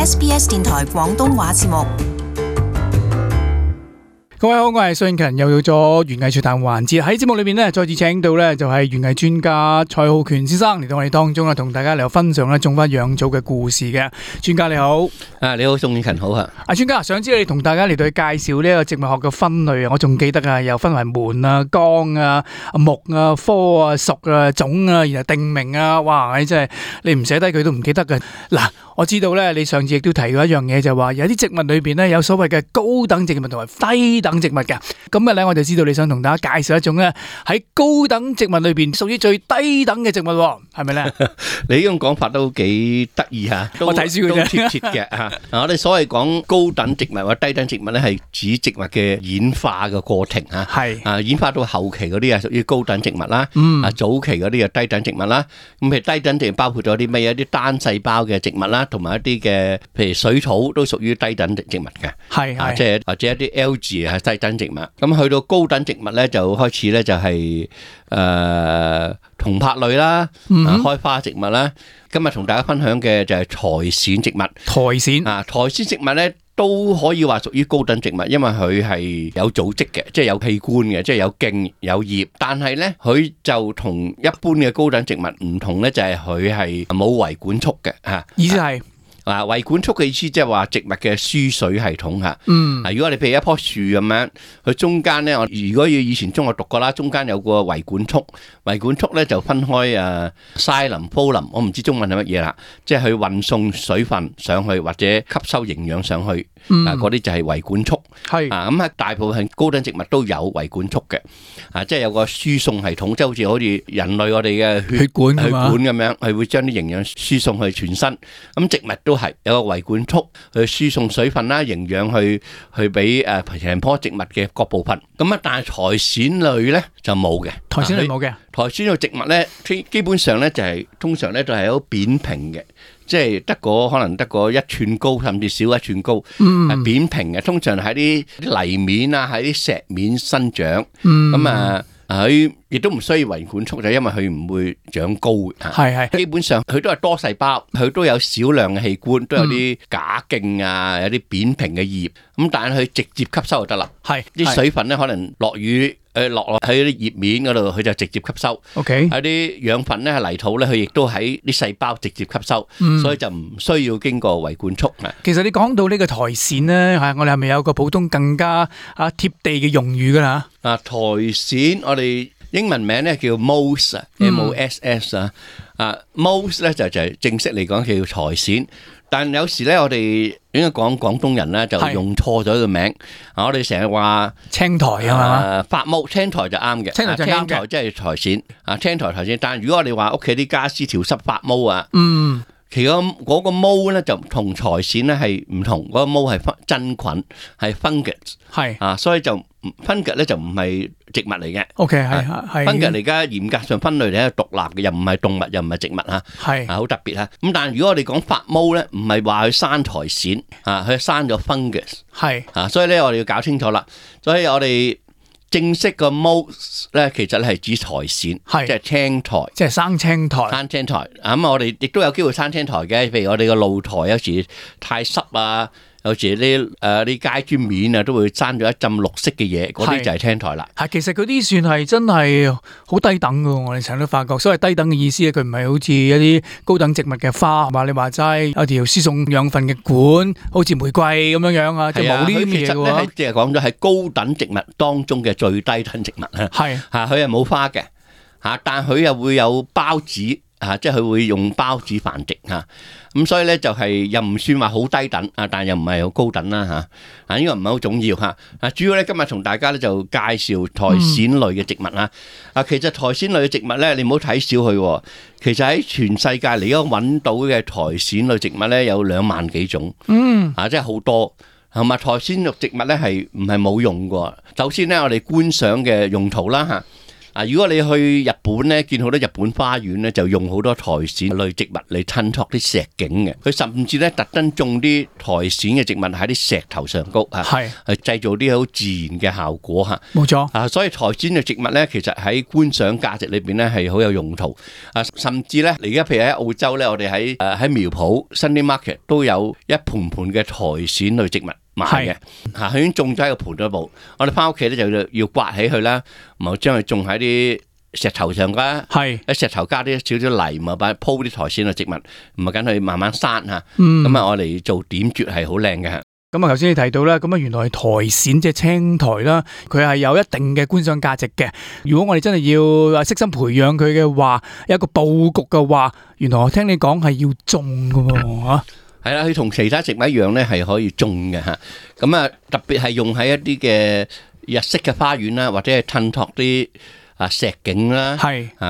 SBS 電台廣東話節目。各位好，我係蘇永勤，又到咗園藝趣談環節。喺節目裏邊咧，再次請到咧就係園藝專家蔡浩權先生嚟到我哋當中啦，同大家嚟分享咧種花養草嘅故事嘅。專家你好，你好，蘇永勤好啊。專家，想知道你同大家嚟到去介紹呢個植物學嘅分類啊？我仲記得啊，又分為門啊、綱啊、木啊、科啊、屬啊、種啊，然後定名啊。哇！你真係你唔寫低佢都唔記得嘅。嗱，我知道咧，你上次亦都提過一樣嘢，就係話有啲植物裏邊咧有所謂嘅高等植物同埋低等植物嘅。今日咧我就知道你想同大家介紹一種咧喺高等植物裏邊屬於最低等嘅植物，係咪咧？你呢種講法都幾得意吓，我睇書嘅啫，都貼切嘅吓。我哋所謂講高等植物或者低等植物咧，係指植物嘅演化嘅過程吓。係演化到後期嗰啲係屬於高等植物啦。早期嗰啲係低等植物啦。咁譬如低等植物包括咗啲咩？一啲單細胞嘅植物啦，同埋一啲嘅譬如水草都屬於低等植物嘅。係即係或者一啲 algae 係低等植物。咁去到高等植物咧，就開始咧就係銅柏類啦，開花植物啦。今日同大家分享嘅就係苔蘚植物。苔蘚植物咧都可以話屬於高等植物，因為佢係有組織嘅，即係有器官嘅，即係有莖有葉。但係咧，佢就同一般嘅高等植物唔同咧，就係佢係冇維管束嘅吓。意思係？維管束嘅意思即係話植物嘅輸水系統吓。如果你譬如一棵樹咁樣，佢中間咧，我如果要以前中學讀過啦，中間有個維管束，維管束咧就分開xylem、phloem，我唔知中文係乜嘢啦，即係去運送水分上去或者吸收營養上去，嗰啲就係維管束。咁喺大部分高等植物都有維管束嘅，即係有個輸送系統，即係好似人類我哋嘅血管咁樣，係會將啲營養輸送去全身。咁植物都係有個維管束去輸送水分啦、營養去俾成棵植物嘅各部分。咁但係苔蘚類咧就冇嘅。苔蘚類冇嘅。苔蘚類植物咧，基本上咧就係通常咧都係好扁平嘅，即係可能得個1寸高，甚至少1寸高，係扁平嘅。通常喺啲泥面啊，喺啲石面生長。咁佢亦都唔需要維管束，就因為佢唔會長高嘅。基本上佢都係多細胞，佢都有少量嘅器官，都有啲假莖啊，有啲扁平嘅葉。咁但係佢直接吸收就得啦。啲水分咧可能落雨落喺啲葉面嗰度，佢就直接吸收。喺啲養分咧係泥土咧，佢亦都喺啲細胞直接吸收，所以就唔需要經過維管束。其實你講到呢個苔蘚咧，我哋係咪有個普通更加貼地嘅用語噶啦？苔蘚我哋英文名咧叫 moss，M-O-S-S moss 咧就係正式嚟講叫苔蘚。但有時咧，我哋應該講廣東人咧就用錯咗個名。我哋成日話青苔啊嘛，發毛青苔就啱嘅。青苔即係苔蘚青苔苔蘚。但係如果我哋話屋企啲家私潮濕發毛啊，其實嗰個毛咧就同苔蘚咧係唔同。嗰個毛係真菌，係 fungus，所以就 fungus 咧就唔係植物嚟嘅。fungus 嚟㗎，嚴格上分類嚟係獨立嘅，又唔係動物，又唔係植物嚇，好特別嚇。咁但係如果我哋講發毛咧，唔係話佢生苔蘚佢生咗 fungus，所以咧我哋要搞清楚啦。所以我哋正式個 moss 咧，其實咧係指苔蘚，即係青苔，即係生青苔。咁我哋亦都有機會生青苔嘅，譬如我哋個露台有時太濕啊，有時啲街磚面啊都會生咗一浸綠色嘅嘢，嗰啲就係青苔啦。其實嗰啲算係真係好低等噶，我哋成日都發覺。所謂低等嘅意思咧，佢唔係好似一啲高等植物嘅花，係嘛？你話齋有條輸送養分嘅管，好似玫瑰咁樣樣啊，即係冇呢啲嘢嘅喎。即係講咗係高等植物當中嘅最低等植物啊。佢係冇花嘅但佢又會有孢子即係佢會用孢子繁殖咁所以咧就係又唔算話好低等但又唔係好高等啦呢個唔係好重要主要咧今日同大家咧就介紹苔蘚類嘅植物其實苔蘚類嘅植物咧，你唔好睇小佢，其實喺全世界你而家揾到嘅苔蘚類植物咧有2萬幾種，即係好多。同埋苔蘚類植物咧係唔係冇用嘅？首先咧我哋觀賞嘅用途啦如果你去日本咧，見好多日本花園咧，就用好多苔蘚類植物嚟襯托啲石景嘅。佢甚至咧特登種啲苔蘚嘅植物喺啲石頭上高係製造啲好自然嘅效果嚇。冇錯所以苔蘚嘅植物咧，其實喺觀賞價值裏邊咧係好有用途。甚至咧，而家譬如喺澳洲咧，我哋喺苗圃 Sunday Market 都有一盆盆嘅苔蘚類植物賣嘅，佢已經種咗喺個盆嗰度。我哋翻屋企咧就要刮起佢啦，然後將佢種喺啲石頭上噶，喺石頭加啲少少泥，咪擺鋪啲苔蘚嘅植物，唔係緊佢慢慢生嚇。咁我哋做點綴係好靚嘅。咁頭先你提到啦，咁原來係苔蘚即係青苔啦，佢係有一定嘅觀賞價值嘅。如果我哋真係要悉心培養佢嘅話，有一個佈局嘅話，原來我聽你講係要種㗎喎嚇。係啦，佢同其他植物一樣咧，係可以種嘅嚇。咁特別係用喺一啲嘅日式嘅花園啦，或者係襯托啲石景啦，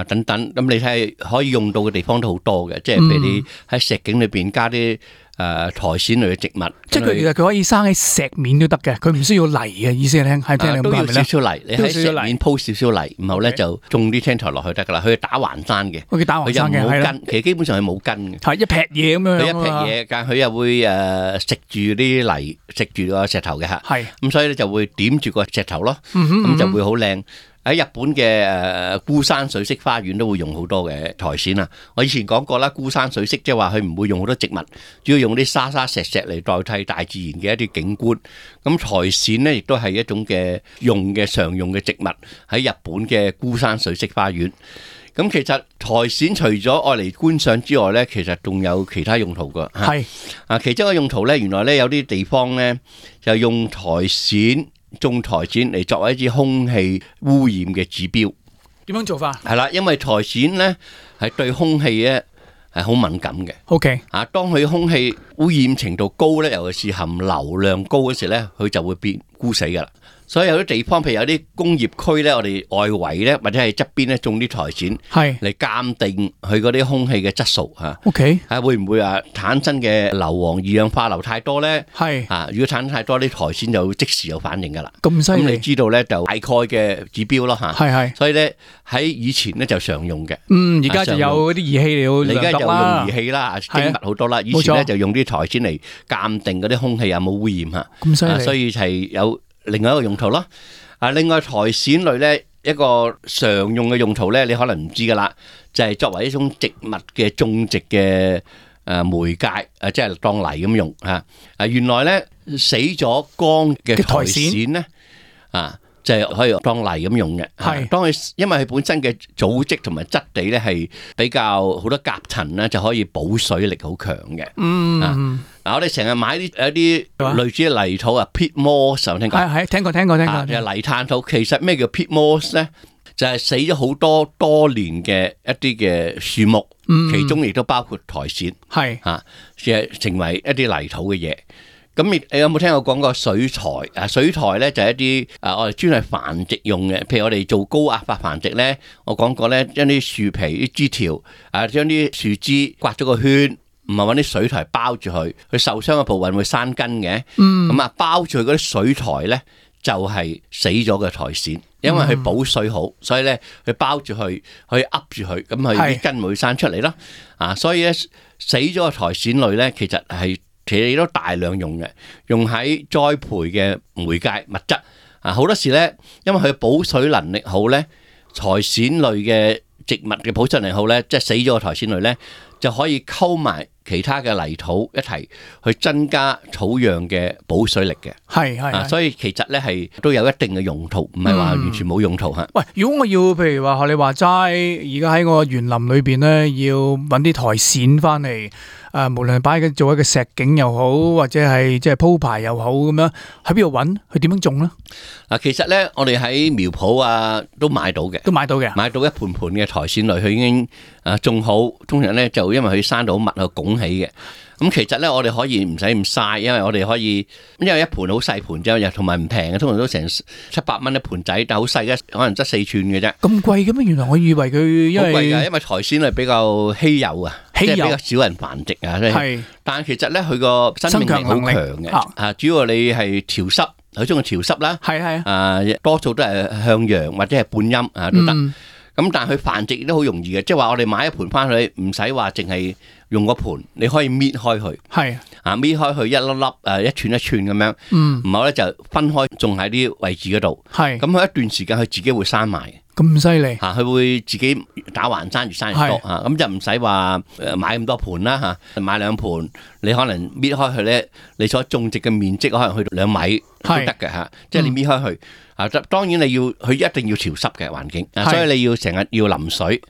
等等。咁你睇可以用到嘅地方都好多嘅，即係譬如你喺石景裏邊加啲苔蘚類嘅植物，即係佢可以生喺石面都得嘅，佢唔需要泥嘅意思係聽你咁講係咪咧？都要少少泥，你喺石面鋪少少泥，然後咧就種啲青苔落去得噶啦。佢打橫生嘅，佢打橫生嘅，係啦。其實基本上係冇根嘅，係一劈嘢咁樣。佢一劈嘢，但係佢又會食住啲泥，食住個石頭嘅嚇。係咁，所以咧就會點住個石頭咯，咁就會好靚。喺日本嘅孤山水色花園都會用好多嘅苔蘚啊！我以前講過啦，孤山水色即係話佢唔會用好多植物，主要用啲沙沙石石嚟代替大自然嘅一啲景觀。咁苔蘚咧亦都係一種嘅常用嘅植物喺日本嘅孤山水色花園。咁其實苔蘚除咗愛嚟觀賞之外咧，其實仲有其他用途㗎。係其中一個用途咧，原來咧有啲地方咧就用苔蘚。種苔蘚嚟作為一啲空氣污染嘅指標，點樣做法？係啦，因為苔蘚咧係對空氣咧係好敏感嘅。OK，當佢空氣污染程度高咧，尤其是含硫量高嗰時咧，佢就會變枯死噶啦。所以有啲地方，譬如有啲工業區咧，我哋外圍咧或者係側邊咧種啲苔蘚，係嚟鑑定佢嗰啲空氣嘅質素嚇。OK，會唔會產生嘅硫磺二氧化硫太多咧？係如果產生太多，啲苔蘚就即時有反應噶啦。咁犀利，咁你知道咧就大概嘅指標咯嚇。係，所以咧喺以前咧就常用嘅。而家就有啲儀器嚟量度啦。而家就用儀器啦，精密好多啦。以前咧就用啲苔蘚嚟鑑定嗰啲空氣有冇污染嚇。咁犀利，所以係有另外一個用途咯。另外苔蘚類咧一個常用嘅用途咧，你可能唔知噶啦，就係作為一種植物嘅種植嘅媒介，即係當泥咁用嚇。原來咧死咗乾嘅苔蘚咧就係可以當泥咁用嘅。係，當佢因為佢本身嘅組織同埋質地咧係比較好多夾層咧，就可以保水力好強嘅。我哋成日買一啲類似嘅泥土peat moss，有聽過？係聽過。就係泥炭土。其實咩叫peat moss咧？就係死咗好多年嘅一啲嘅樹木，其中亦都包括苔蘚。係成為一啲泥土嘅嘢。咁你有冇聽我講過水苔？水苔咧就係一啲我哋專係繁殖用嘅，譬如我哋做高壓化繁殖咧，我講過咧，將啲樹皮啲枝條將啲樹枝刮咗個圈，唔係揾啲水苔包住佢受傷嘅部位會生根嘅。咁包住佢嗰啲水苔咧就係死咗嘅苔蘚，因為佢保水好，所以咧佢包住佢，可以噏住佢，咁佢啲根會生出嚟咯。所以咧死咗嘅苔蘚類咧，其實都大量用嘅，用喺栽培嘅媒介物質。好多時咧，因為佢保水能力好咧，苔蘚類嘅植物嘅保水能力好咧，即係死咗嘅苔蘚類咧，就可以溝埋其他嘅泥土一齊去增加土壤嘅保水力嘅。係，所以其實咧係都有一定嘅用途，唔係話完全冇用途嚇。喂，如果我要譬如話學你話齋，而家喺我園林裏邊咧，要揾啲苔蘚翻嚟。無論係擺做一個石景又好，或者係即係鋪排又好咁樣，喺邊度揾？佢點樣種咧？其實咧，我哋喺苗圃都買到嘅，買到一盆盆嘅苔蘚類，佢已經種好，通常咧就因為佢生到密去拱起嘅。咁其實咧，我哋可以唔使咁嘥，因為我哋可以，因為一盆好細盆啫，又同埋唔平嘅，通常都成700蚊一盆仔，但係好細嘅，可能得4寸嘅啫。咁貴嘅咩？原來我以為佢好貴㗎，因為苔蘚係比較稀有啊，即係比較少人繁殖啊。係，但係其實咧，佢個生命力好強嘅。主要你係潮濕佢中意潮濕啦，係啊，多數都係向陽或者係半陰啊都得。咁但係佢繁殖亦都好容易嘅，即係話我哋買一盆翻去，唔使話淨係用個盆，你可以搣開佢，係搣開佢一粒粒一寸一寸咁樣，然後咧就分開種喺啲位置嗰度，係咁佢一段時間佢自己會生埋。咁犀利佢會自己打橫生，越生越多咁就唔使話買咁多盤啦買2盤，你可能搣開佢咧，你所種植嘅面積可能去到2米都得嘅即係你搣開佢當然佢一定要潮濕嘅環境所以你要成日要淋水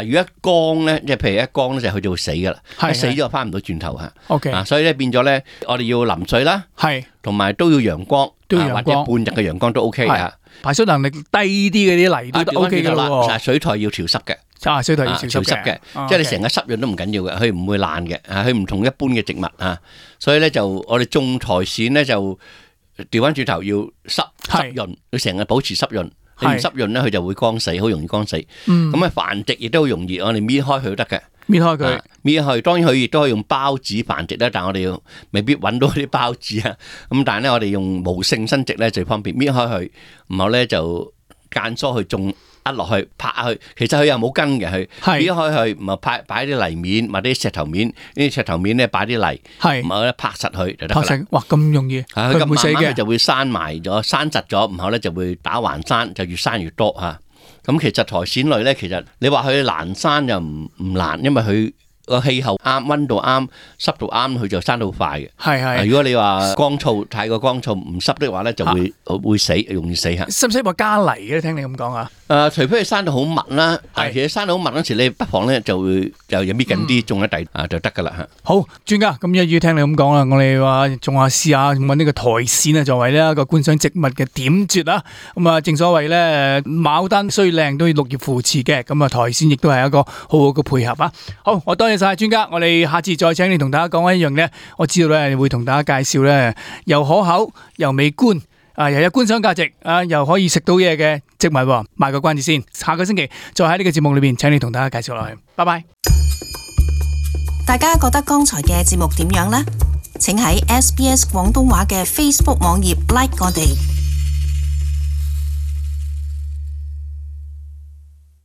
如果一乾咧，即係譬如一乾咧就佢就會死噶啦，一死咗翻唔到轉頭OK 所以咧變咗咧，我哋要淋水啦，同埋都要陽光，或者半日嘅陽光都 OK 嘅。排水能力低啲嗰啲泥都 OK 噶啦，水台要潮濕嘅，水台要潮濕嘅，即係你成個濕潤都唔緊要嘅，佢唔會爛嘅，佢唔同一般嘅植物所以咧就我哋種苔蘚咧就調翻轉頭要濕潤，要成日保持濕潤，你唔濕潤咧佢就會乾死，好容易乾死。咁繁殖亦都好容易，我哋搣開佢都得嘅。搣開佢，搣開，當然佢亦都可以用孢子繁殖啦，但係我哋未必揾到啲孢子咁但係咧，我哋用無性生殖咧最方便，搣開佢，然後咧就間疏去種落去拍去，其實佢又冇根嘅，佢搣開佢，唔係擺啲泥面或者石頭面，呢啲石頭面咧擺啲泥，然後咧拍實佢就得啦。拍實，哇咁容易，佢唔會死嘅，慢慢就會生埋咗，生實咗，然後咧就會打橫生，就越生越多咁其實苔蘚類咧，其實你話佢難生又唔難，因為佢個氣候啱，溫度啱，濕度啱，佢就生得好快嘅。係如果你話乾燥太過乾燥唔濕的話咧，就會死，容易死使唔使話加泥嘅？聽你咁講啊？除非佢生到好密啦，其實生到好密嗰時，你不妨咧就會又搣緊啲種喺地就得噶啦好，專家咁一於聽你咁講啦，我哋話仲話試下揾呢個苔蘚作為呢一個觀賞植物嘅點綴啦。咁正所謂咧，牡丹雖靚都要綠葉扶持嘅，咁苔蘚亦都係一個好好嘅配合啊。好，我多謝晒專家，我哋下次再請你同大家講一樣咧，我知道咧會同大家介紹咧又可口又美觀。又有觀賞價值又可以食到嘢嘅植物喎，賣個關子先，下個星期再喺呢個節目裏邊請你同大家介紹落去，拜拜。大家覺得剛才嘅節目點樣呢？請喺SBS 廣東話嘅 Facebook 網頁 like 我哋。